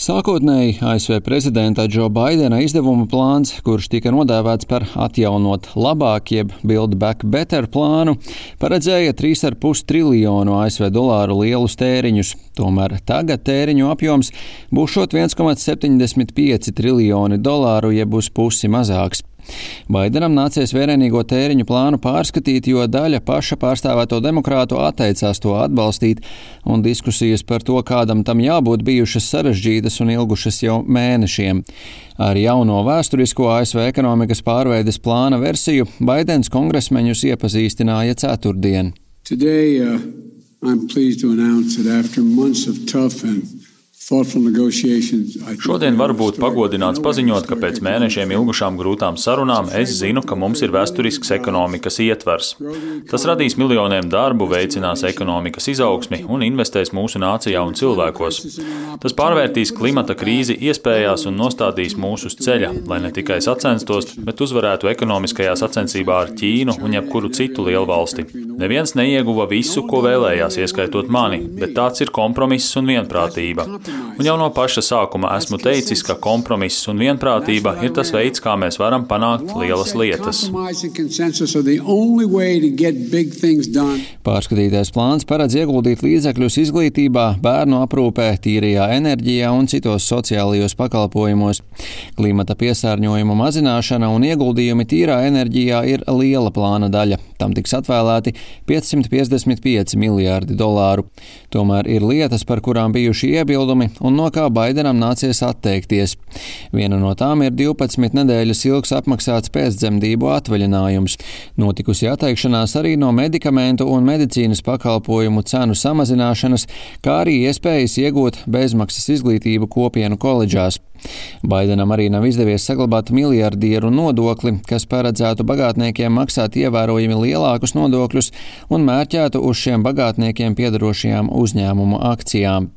Sākotnēji ASV prezidenta Džo Baidena izdevuma plāns, kurš tika nodēvēts par atjaunot labāk jeb Build Back Better plānu, paredzēja 3,5 triljonu ASV dolāru lielus tēriņus. Tomēr tagad tēriņu apjoms būšot 1,75 triljoni dolāru jeb uz pusi mazāks. Baidenam nācies vērienīgo tēriņu plānu pārskatīt, jo daļa paša pārstāvēto demokrātu atteicās to atbalstīt, un diskusijas par to, kādam tam jābūt, bijušas sarežģītas un ilgušas jau mēnešiem. Ar jauno vēsturisko ASV ekonomikas pārveides plāna versiju Baidens kongresmeņus iepazīstināja ceturtdien. Today, I'm pleased to announce that after months of tough and Šodien varu būt pagodināts paziņot, ka pēc mēnešiem ilgušām grūtām sarunām es zinu, ka mums ir vēsturisks ekonomikas ietvers. Tas radīs miljoniem darbu, veicinās ekonomikas izaugsmi un investēs mūsu nācijā un cilvēkos. Tas pārvērtīs klimata krīzi iespējās un nostādīs mūs uz ceļa, lai ne tikai sacenstos, bet uzvarētu ekonomiskajā sacensībā ar Ķīnu un jebkuru citu lielvalsti. Neviens neieguva visu, ko vēlējās, ieskaitot mani, bet tāds ir kompromiss un vienprātība. Un jau no paša sākuma esmu teicis, ka kompromiss un vienprātība ir tas veids, kā mēs varam panākt lielas lietas. Pārskatītais plāns paredz ieguldīt līdzekļus izglītībā, bērnu aprūpē, tīrajā enerģijā un citos sociālajos pakalpojumos. Klimata piesārņojuma mazināšana un ieguldījumi tīrā enerģijā ir liela plāna daļa. Tam tiks atvēlēti 555 miljārdi dolāru. Tomēr ir lietas, par kurām bijuši iebildumi un no kā Baidenam nācies atteikties. Viena no tām ir 12 nedēļas ilgs apmaksāts pēcdzemdību atvaļinājums. Notikusi atteikšanās arī no medikamentu un medicīnas pakalpojumu cenu samazināšanas, kā arī iespējas iegūt bezmaksas izglītību kopienu koledžās. Baidenam arī nav izdevies saglabāt miljardieru nodokli, kas paredzētu bagātniekiem maksāt ievērojami lielākus nodokļus un mērķētu uz šiem bagātniekiem piederošajām uzņēmumu akcijām.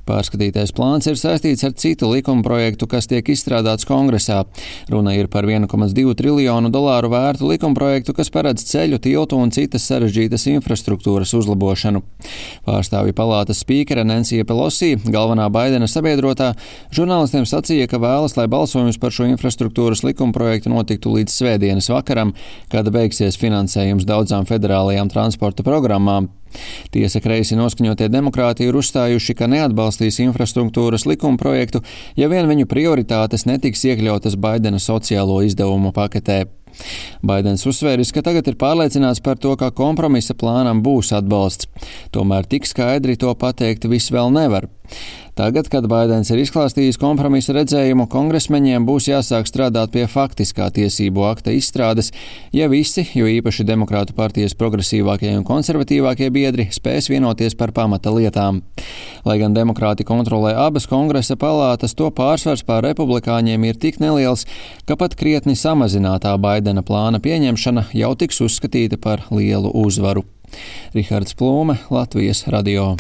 Pārskatītais plāns ir saistīts ar citu likumprojektu, kas tiek izstrādāts Kongresā. Runa ir par 1,2 triljonu dolāru vērtu likumprojektu, kas paredz ceļu, tiltu un citas sarežģītas infrastruktūras uzlabošanu. Pārstāvju palātas spīkere Nancy Pelosi, galvenā Baidena sabiedrotā, žurnālistiem sacīja, ka vēlas, lai balsojums par šo infrastruktūras likumprojektu notiktu līdz svētdienas vakaram, kad beigsies finansējums daudzām federālajām transporta programmām. Tiesa kreisi noskaņotie demokrāti ir uzstājuši, ka neatbalstīs infrastruktūras likumprojektu, ja vien viņu prioritātes netiks iekļautas Baidena sociālo izdevumu paketē. Baidens uzsvēris, ka tagad ir pārliecināts par to, ka kompromisa plānam būs atbalsts. Tomēr tik skaidri to pateikt viss vēl nevar. Tagad, kad Baidens ir izklāstījis kompromisa redzējumu, kongresmeņiem būs jāsāk strādāt pie faktiskā tiesību akta izstrādes, ja visi, jo īpaši demokrātu partijas progresīvākie un konservatīvākie biedri, spēs vienoties par pamata lietām. Lai gan demokrāti kontrolē abas kongresa palātas, to pārsvars pār republikāņiem ir tik neliels, ka pat krietni samazinātā Baidena plāna pieņemšana jau tiks uzskatīta par lielu uzvaru. Rihards Plūme, Latvijas radio.